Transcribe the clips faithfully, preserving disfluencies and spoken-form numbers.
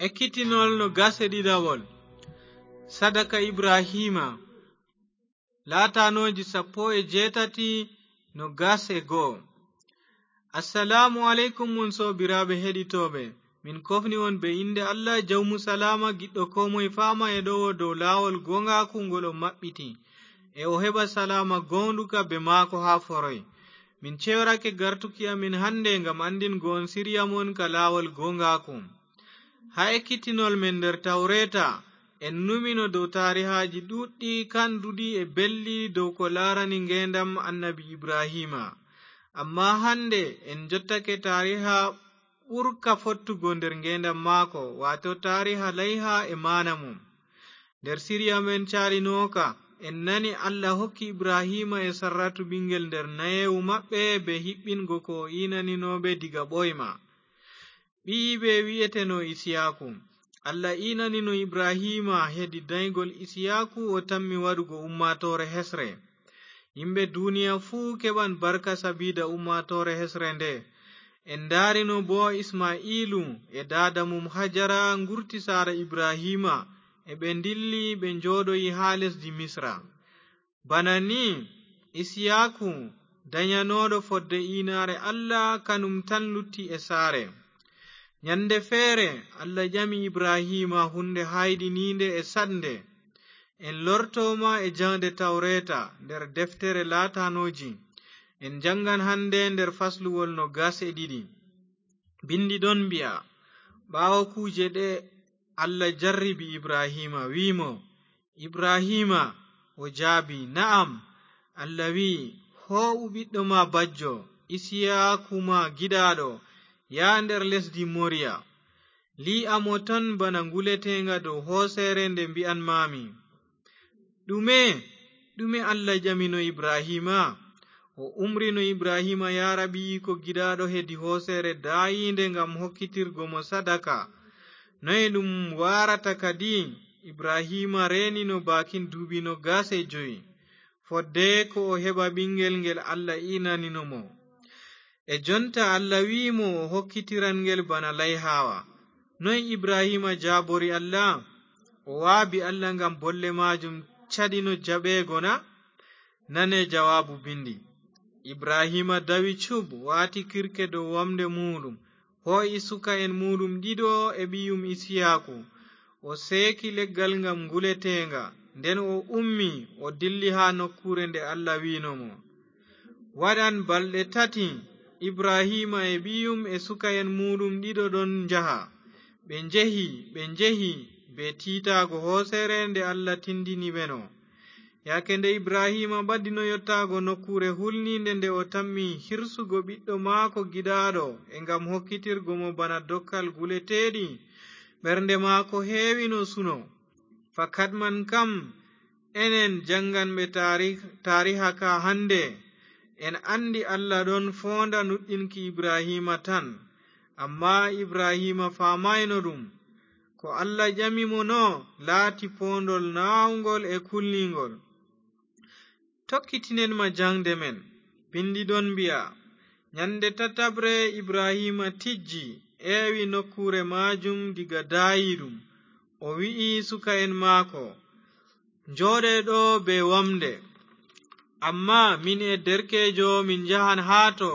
Ekkitinol no gas e ɗiɗawol. Sadaka Ibraahiima. Laatanooji sappo e jeetati no gas e goo. Assalaamu aleykum, mon soobiraaɓe heɗitooɓe. Min kofni on be innde Allah, Jawmu Salaama, giɗɗo koo moye faama e ɗowo dow laawol gooŋgaaku ngol o maɓɓiti, e o heɓa salaama gooŋɗuka be maako haa foroy. Min ceyorake gartuki amin hande ngam anndingo on siriya mon ka laawol gooŋgaaku. Haa ekkitinol men nder Tawreeta, en numino dow taarihaaji ɗuuɗɗi kanduɗi e belɗi dow ko laarani ngeendam Annabi Ibraahiima. Ammaa hande en jottake taariha ɓurka fottugo nder ngeendam maako, waato taariha layha e maana mum. Nder siriya men caalinooka, en nani Allah hokki Ibraahiima e Sarratu ɓiŋngel nder nayeewu maɓɓe be hiɓɓingo ko o iinanino ɓe diga ɓooyma. Ɓiyiiɓe wi'eteno Isiyaaku. Allah iinanino Ibraahiima hedi daygol Isiyaaku o tammi waɗugo ummaatoore hesre. Yimɓe duniya fuu keɓan barka sabiida ummaatoore hesre nde. En ndaarino boo Isma'iilu e daada mum Hajara ngurti saare Ibraahiima, e ɓe ndilli ɓe njooɗoyi haa lesdi Misra. Bana ni, Isiyaaku, danyanooɗo fodde iinaare Allah, kanum tan lutti e saare. Nyande feere, Allah ƴami Ibraahiima huunde hayɗiniinde e saɗnde. En lortooma e jaŋde Tawreeta nder deftere laatanooji. En jaŋgan hande nder fasluwol no gas e ɗiɗi. Bindi ɗon mbi'a, ɓaawo kuuje ɗe, Allah jarribi Ibraahiima, wi'i mo, "Ibraahiima," o jaabi, "Na'am." Allah wi'i, "Hoo'u ɓiɗɗo ma bajjo, Isiyaaku ma giɗaaɗo, yaha nder lesdi Moriya. Lii'a mo ton bana nguleteeŋga dow hooseere nde mbi'anmaami." Ɗume, ɗume Allah ƴamino Ibraahiima? O umrino Ibraahiima yaara ɓiyiiko giɗaaɗo hedi hooseere daayiinde ngam hokkitirgo mo sadaka. Noye ɗum waarata kadi? Ibraahiima reenino baakin duuɓi noogas e jowi, fodde ko o heɓa ɓiŋngel ngel Allah iinanino mo. E jonta Allah wi'i mo o hokkitiran ngel bana layhaawa. Noy Ibraahiima jaabori Allah? O waabi Allah ngam bolle maajum caɗino jaɓeego na? Nane jawaabu bindi. Ibraahiima dawi cub, waati kirke dow wamnde muuɗum, hoo'i suka'en muuɗum ɗiɗo e ɓiyum Isiyaaku. O seeki leggal ngam nguleteeŋga, nden o ummi, o dilli haa nokkuure nde Allah wi'no mo. Waɗan balɗe tati, Ibraahiima e ɓiyum e suka'en muuɗum ɗiɗo ɗon njaha. Ɓe njehi, ɓe njehi, be tiitaago hooseere nde Allah tindini ɓe no. Yaake nde Ibraahiima ɓadino yottaago nokkuure hulniinde nde o tammi hirsugo ɓiɗɗo maako giɗaaɗo e ngam hokkitirgo mo bana dokkal guleteeɗi, ɓernde maako heewino suno. Fakat man kam, enen jaŋnganɓe taari-, taariha ka hande, en anndi Allah ɗon foonda nuɗɗinki Ibraahiima tan. Ammaa Ibraahiima faamaayno ɗum. Ko Allah ƴami mo no laati poondol naawŋgol e kulniiŋgol. Tokkitinen ma jaŋde men. Bindi ɗon mbi'a, "Nyande tataɓre Ibraahiima tijji, eewi nokkuure maajum diga daayiiɗum. O wi'i suka'en maako, 'Njooɗe ɗo be wamnde. Ammaa min e derkeejo min njahan haa to,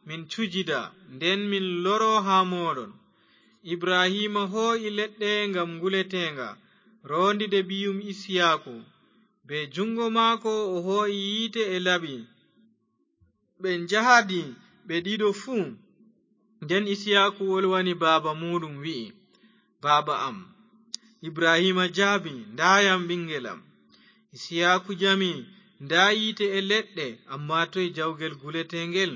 min cujida, nden min loro haa mooɗon.'" Ibraahiima hoo'i leɗɗe ngam nguleteeŋga, roondiɗe ɓiyum Isiyaaku. Be juŋngo maako o hoo'i yiite e laɓi. Ɓe njahadi ɓe ɗiɗo fuu. Nden Isiyaaku wolwani baaba muuɗum, wi'i, "Baaba am." Ibraahiima jaabi, "Ndaayam, ɓiŋngel am." Isiyaaku ƴami, "Ndaa yiite e leɗɗe, ammaa toy jawgel guleteeŋgel?"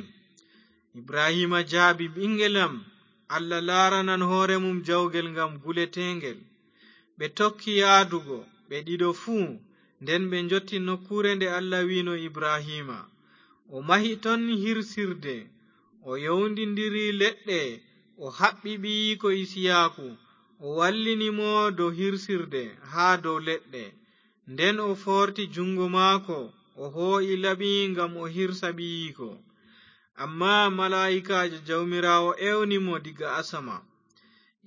Ibraahiima jaabi, "Ɓiŋngel am, Allah laaranan hoore mum jawgel ngam guleteeŋgel." Ɓe tokki yaadugo, ɓe ɗiɗo fuu, nden ɓe njotti nokkuure nde Allah wi'no Ibraahiima. O mahi ton hirsirde, o yowndindiri leɗɗe, o haɓɓi ɓiyiiko Isiyaaku, o wallini mo dow hirsirde haa dow leɗɗe. Nden o foorti juŋngo maako, o hoo'i laɓi ngam o hirsa ɓiyiiko. Ammaa malaa'ikaajo Jawmiraawo ewni mo diga asama,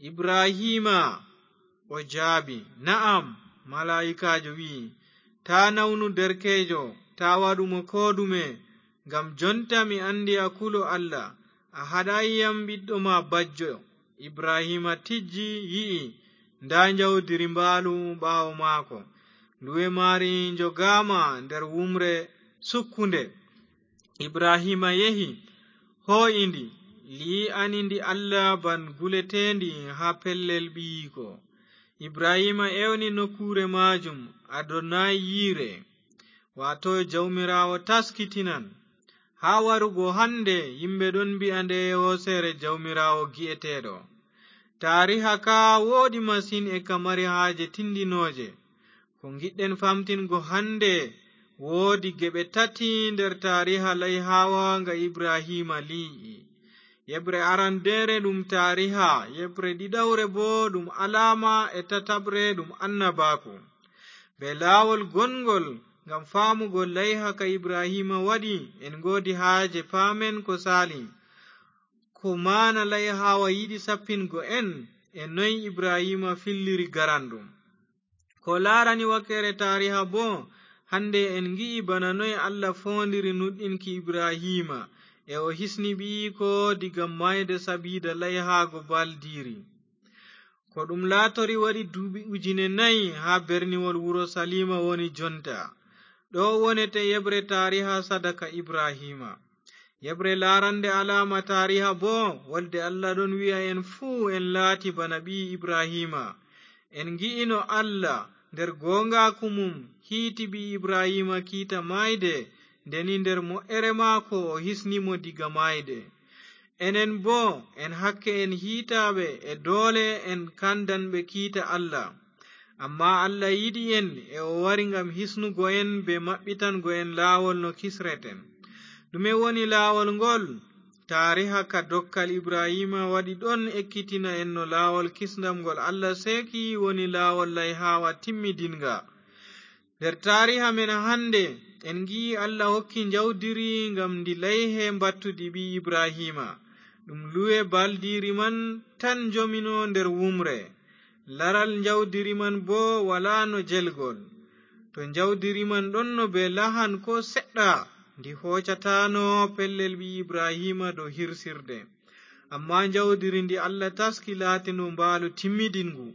"Ibraahiima!" O jaabi, "Na'am." Malaa'ikaajo wi'i, "Taa nawnu derkeejo, taa waɗu mo koo ɗume, ngam jonta mi anndi a kulo Allah. A haɗaay yam ɓiɗɗo ma bajjo." Ibrahiima tijji, yi'i, ndaa njawdiri mbaalu ɓaawo maako. Luwe maari njogaama nder wumre sukkunde. Ibrahiima yehi, hoo'i ndi, lii'ani ndi Allah ban guleteendi haa pellel ɓiyiiko. Ibrahiima ewni nokkuure maajum Adonayire, waato Jawmiraawo taskitinan. Haa warugo hannde, yimɓe ɗon mbi'a nde hooseere Jawmiraawo gi'eteeɗo. Taariha ka wooɗi masin e ka mari haaje tindinooje. Ko ngiɗɗen famtingo hannde, woodi geɓe tati nder taariha layhawa nga Ibrahiima lii'i. Yeɓre arandeere ɗum taariha, yeɓre ɗiɗawre boo ɗum alaama, e tataɓre ɗum annabaaku. Bee laawol gonngol, ngam faamugo layha ka Ibrahiima waɗi, en ngoodi haaje paamen ko saali. Ko maana layhawa yiɗi sappingo en, e noy Ibrahiima filliri garanɗum. Ko laarani wakkeere taariha boo, hannde en ngi'i bana noy Allah foondiri nuɗɗinki Ibrahiima, e o hisni ɓiyiiko diga maayde sabiida layhaago baldiiri. Ko ɗum laatori waɗi duuɓi ujine nayi haa berniwol Urusaliima woni jonta. Ɗo wonete yeɓre taariha sadaka Ibrahiima. Yeɓre laarande alaama taariha boo, wolde Allah ɗon wi'a en fuu en laati bana ɓii Ibrahiima. En ngi'ino Allah nder gooŋgaaku mum hiiti ɓii Ibrahiima kiita maayde, ndeni nder mo'ere maako o hisni mo diga maayde. Enen boo, en hakke en hiitaaɓe, e doole en kandan ɓe kiita Allah. Ammaa Allah yiɗi en, e o wari ngam hisnugo en bee maɓɓitango en laawol no kisreten. Ɗume woni laawol ngol? Taariha ka dokkal Ibrahiima waɗi ɗon ekkitina en no laawol kisndam ngol Allah seeki woni laawol layhaawa timmidinnga. Nder taariha men hannde, en ngi'i Allah hokki njawdiri ngam ndi layhe mbattudi ɓii Ibrahiima. Ɗum luwe baldiiri man tan njomino nder wumre. Laral njawdiri man boo walaano jelgol. To njawdiri man ɗonno bee lahan koo seɗɗa, ndi hoocataano pellel ɓii Ibrahiima dow hirsirde. Ammaa njawdiri ndi Allah taski laatino mbaalu timmidinngu.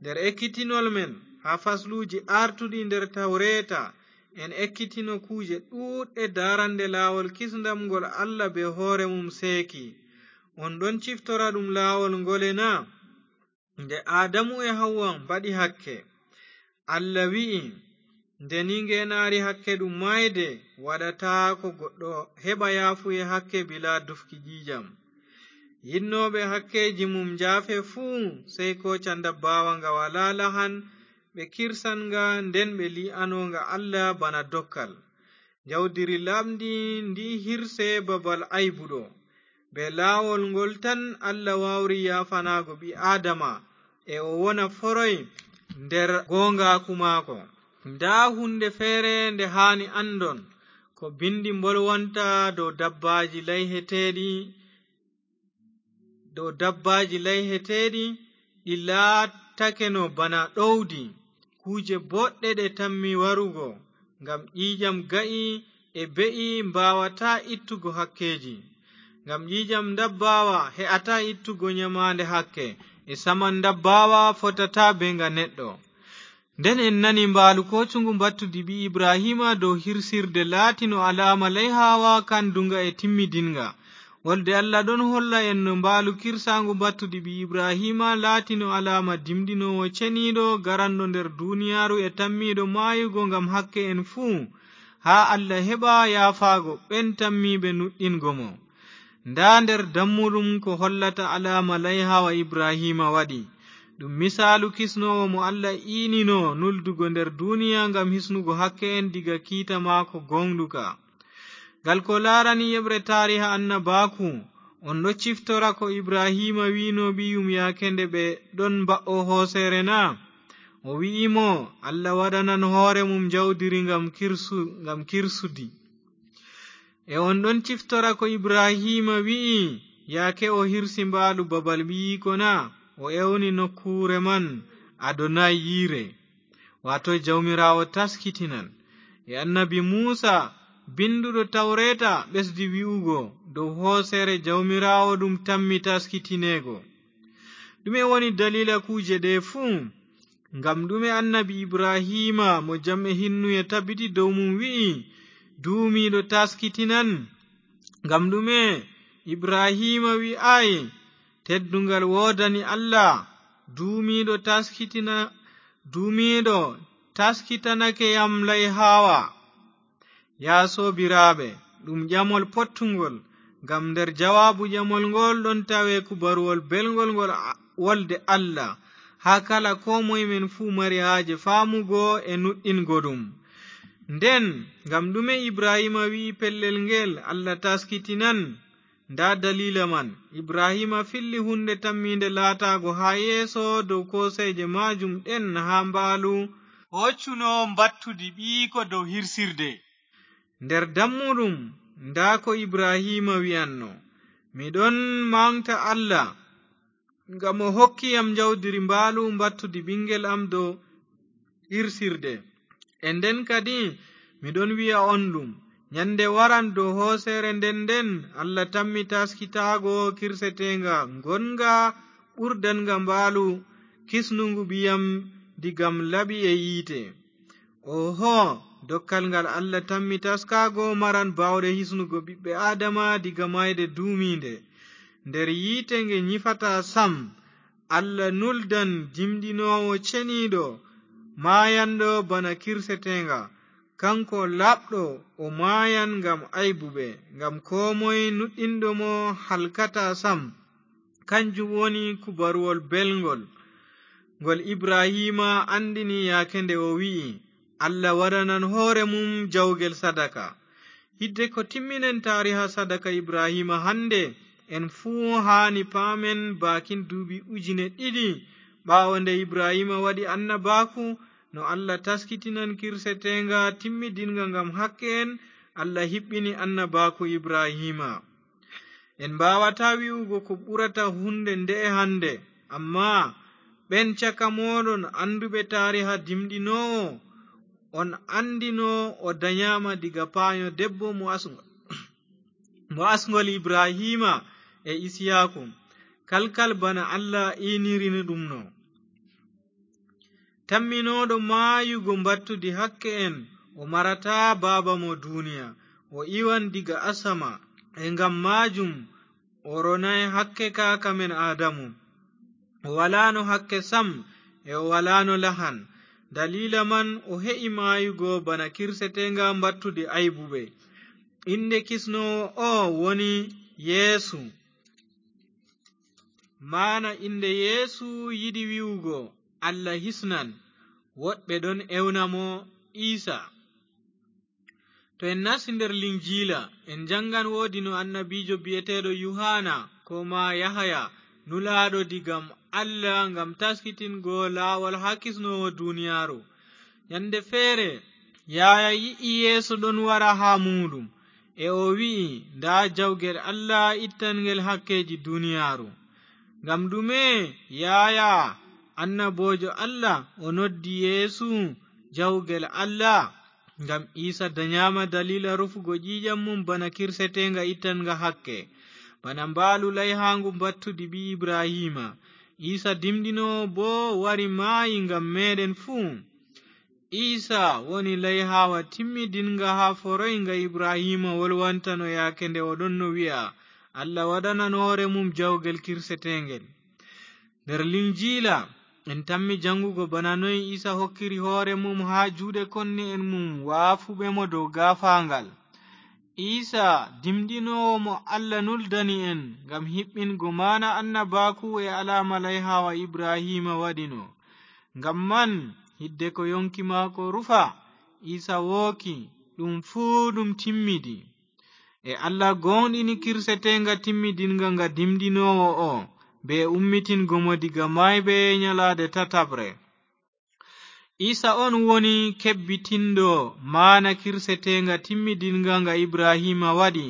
Nder ekkitinol men haa fasluuji aartuɗi nder Tawreeta, en ekkitino kuuje ɗuuɗɗe daarande laawol kisndam ngol Allah bee hoore mum seeki. On ɗon ciftora ɗum laawol ngole na? Nde Aadamu e Hawwa mbaɗi hakke, Allah wi'i, nde ni ngeenaari hakke ɗum maayde, waɗataako goɗɗo heɓa yaafuye hakke bilaa dufki ƴiiƴam. Yiɗnooɓe hakkeeji mum njaafe fuu, sey kooca ndabbaawa nga walaa lahan, ɓe kirsan nga, nden ɓe lii'ano nga Allah bana dokkal. Njawdiri laaɓndi ndi hirse babal aybuɗo. Bee laawol ngol tan Allah waawri yaafanaago ɓii Aadama, e o wona foroy nder gooŋgaaku maako. Ndaa huunde feere nde haani anndon, ko binndi mbolwanta dow dabbaaji layheteeɗi, dow dabbaaji layheteeɗi, ɗi laatakeno bana ɗowdi, kuuje boɗɗe ɗe tammi warugo, ngam ƴiiƴam ga'i e be'i mbaawataa ittugo hakkeeji. Ngam ƴiiƴam ndabbaawa he'ataa ittugo nyamaande hakke, e saman ndabbaawa fotataa bee nga neɗɗo. Nden en nani mbaalu koocuŋgu mbattudi ɓii Ibrahiima dow hirsirde laatino alaama layhaawa kanduŋga e timmidiŋga. Wolde Allah ɗon holla en no mbaalu kirsaaŋgu mbattudi ɓii Ibrahiima laatino alaama dimɗinoowo ceniiɗo garanɗo nder duniyaaru e tammiiɗo maayugo ngam hakke en fuu, haa Allah heɓa yaafaago ɓen tammiiɓe nuɗɗingo mo. Ndaa nder dammuɗum ko hollata alaama layhaawa Ibrahiima waɗi. Ɗum misaalu kisnoowo mo Allah iinino nuldugo nder duniya ngam hisnugo hakke en diga kiita maako gooŋɗuka. Ngal ko laarani yeɓre taariha annabaaku, on ɗo ciftora ko Ibrahiima wi'no ɓiyum yaake nde ɓe ɗon mba'o hooseere na? O wi'i mo, Allah waɗanan hoore mum njawdiri ngam kirsu-, ngam kirsudi. E on ɗon ciftora ko Ibrahiima wi'i, yaake o hirsi mbaalu babal ɓiyiiko na, o ewni nokkuure man Adonai yiire, waato Jawmiraawo taskitinan. E annabi Muusa, binnduɗo Tawreeta, ɓesdi wi'ugo dow hooseere Jawmiraawo ɗum tammi taskitineego. Ɗume woni daliila kuuje ɗe fuu? Ngam ɗume annabi Ibrahiima mo jam e hinnuye tabiti dow mum wi'i, "Duumiiɗo taskitinan"? Ngam ɗume Ibrahiima wi'aay, "Teddungal woodani Allah, duumiiɗo taskitina, duumiiɗo taskitanake yam layhaawa"? Yaa soobiraaɓe, ɗum ƴamol pottungol, ngam nder jawaabu ƴamol ngool ɗon tawe kubaruwol belngol ngol a-, wolde Allah, haa kala koo moye men fuu mari haaje faamugo e nuɗɗingo ɗum. Nden, ngam ɗume Ibrahiima wi'i pellel ngeel, "Allah taskitinan"? Ndaa daliila man. Ibrahiima filli huunde tammiinde laataago haa yeeso dow kooseeje maajum ɗen haa mbaalu hoccuno mbattudi ɓiyiiko dow hirsirde. Nder dammuɗum, ndaa ko Ibrahiima wi'anno, "Mi ɗon maŋgta Allah, ngam o hokki yam njawdiri mbaalu mbattudi ɓiŋngel am dow hirsirde. E nden kadi, mi ɗon wi'a on ɗum, nyannde waran dow hooseere nden nden, Allah tammi taaskitaago kirseteeŋga ngonŋga ɓurdannga mbaalu kisnugu ɓiyam diga laɓi e yiite." Oho, dokkal ngal Allah tammi taskaago maran baawɗe hisnugo ɓiɓɓe Aadama diga maayde duumiinde. Nder yiite nge nyifataa sam, Allah nuldan dimɗinoowo ceniiɗo, maayanɗo bana kirseteeŋga. Kaŋko laaɓɗo, o maayan ngam aybuɓe, ngam koo moy nuɗɗinɗo mo halkataa sam. Kanjum woni kubaruwol belŋgol, ngol Ibrahiima anndini yaake nde o wi'i, "Allah waɗanan hoore mum jawgel sadaka." Hidde ko timminen taariha sadaka Ibrahiima hannde, en fuu haani paamen baakin duuɓi ujine ɗiɗi ɓaawo nde Ibrahiima waɗi annabaaku, no Allah taskitinan kirseteeŋga timmidinnga ngam hakke en, Allah hiɓɓini annabaaku Ibrahiima. En mbaawataa wi'ugo ko ɓurata huunde nde'e hannde, ammaa ɓen caka mooɗon annduɓe taariha dimɗinoowo, on anndino o danyaama diga paanyo debbo mo asŋgol, mo asŋgol Ibrahiima e Isiyaaku, kalkal bana Allah iinirino ɗum no. Tamminooɗo maayugo mbattudi hakke en, o marataa baaba mo duuniya, o iwan diga asama, e ngam maajum o ronay hakke kaaka men Aadamu. O walaano hakke sam, e o walaano lahan. Daliila man o he'i maayugo bana kirseteeŋga mbattudi aybuɓe. Innde kisnoowo o woni Yeesu. Maana innde Yeesu yiɗi wi'ugo Allah hisnan. Woɗɓe ɗon ewna mo Iisa. To en nasti nder Linjiila, en janngan woodi no annabiijo bi'eteeɗo Yuhaana, koo maa Yahaya, nulaaɗo diga Allah ngam taskitingo laawol haa kisnoowo duuniyaaru. Nyannde feere, Yahaya yi'i Yeesu ɗon wara haa muuɗum, e o wi'i, "Ndaa jawgel Allah ittangel hakkeeji duuniyaaru." Ngam ɗume Yahaya, annaboojo Allah, o noddi Yeesu jawgel Allah? Ngam Iisa danyaama daliila rufugo ƴiiƴam mum bana kirseteeŋga ittannga hakke, bana mbaalu layhaaŋgu mbattudi ɓii Ibrahiima. Iisa dimɗinoowo boo wari maayi ngam meeɗen fuu. Iisa woni layhaawa timmidinnga haa foroy nga Ibrahiima wolwantano yaake nde o ɗonno wi'a, "Allah waɗanan hoore mum jawgel kirseteeŋgel." Nder Linjiila, en tammi janngugo bana noy Iisa hokkiri hoore mum haa juuɗe konne'en mum waafuɓe mo dow gaafaaŋgal. Iisa, dimɗinoowo mo Allah nuldani en ngam hiɓɓingo maana annabaaku e alaama layhaawa Ibrahiima waɗino. Ngam man, hidde ko yonki maako rufa, Iisa wooki, ɗum fuu ɗum timmidi. E Allah gooŋɗini kirseteeŋga timmidinnga nga dimɗinoowo o, bee ummitingo mo diga maayɓe nyalaade tataɓre. Iisa on woni kebbitinɗo maana kirseteeŋga timmidinnga nga Ibrahiima waɗi,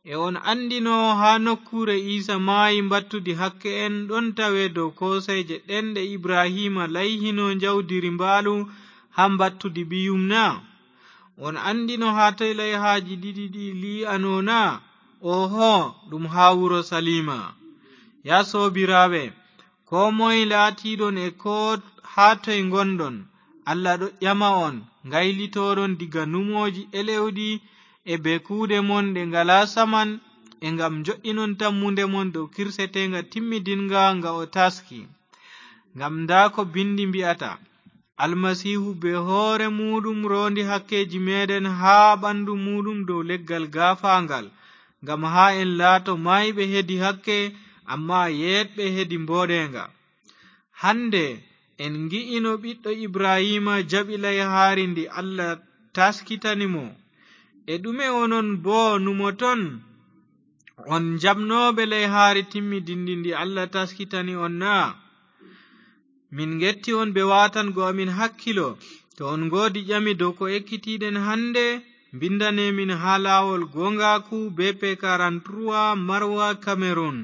E on anndino haa nokkuure Iisa maayi mbattudi hakke en ɗon tawee dow kooseeje ɗen ɗe Ibrahiima layhino njawdiri mbaalu haa mbattudi biyum na? On anndino haa toy layhaaji ɗiɗi ɗi lii'anoo na? Ooho, ɗum haa Urusaliima. Yaa soobiraaɓe, koo moye laatiiɗon e koo haa toy ngonɗon, Allah ɗo ƴama on, ngaylitooɗon diga numooji elewɗi e be kuuɗe mon ɗe ngalaa saman, e ngam njo'inon tammunde mon dow kirseteeŋga timmidinnga nga o taski. Ngam ndaa ko Binndi mbi'ata, Almasiihu bee hoore muuɗum roondi hakkeeji meeɗen haa ɓanndu muuɗum dow leggal gaafaaŋgal, ngam haa en laato maayɓe hedi hakke, ammaa yeeɗɓe hedi mbooɗeeŋga. Hannde en ngi'ino ɓiɗɗo Ibrahiima jaɓi layhaari ndi Allah taskitani mo. E ɗume onon boo numoton? On jaɓnooɓe layhaari timmidinndi ndi Allah taskitani on na? Min ngetti on bee waatango amin hakkilo. To on ngoodi ƴami dow ko ekkitiiɗen hannde, mbinndane min haa laawol gooŋgaaku B P quarante-trois Marwa Cameroun.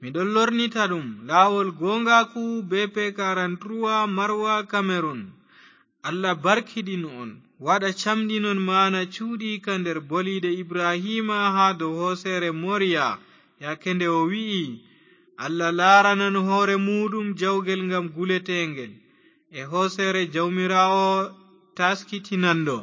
Miɗon lornita ɗum, laawol gooŋgaaku B P quarante-trois Marwa Cameroun. Allah barkiɗin on, waɗa camɗinon maana cuuɗiika nder boliiɗe Ibrahiima haa dow hooseere Moriya, yaake nde o wi'i, Allah laaranan hoore muuɗum jawgel ngam guleteeŋgel, e hooseere Jawmiraawo taaskitinanɗo.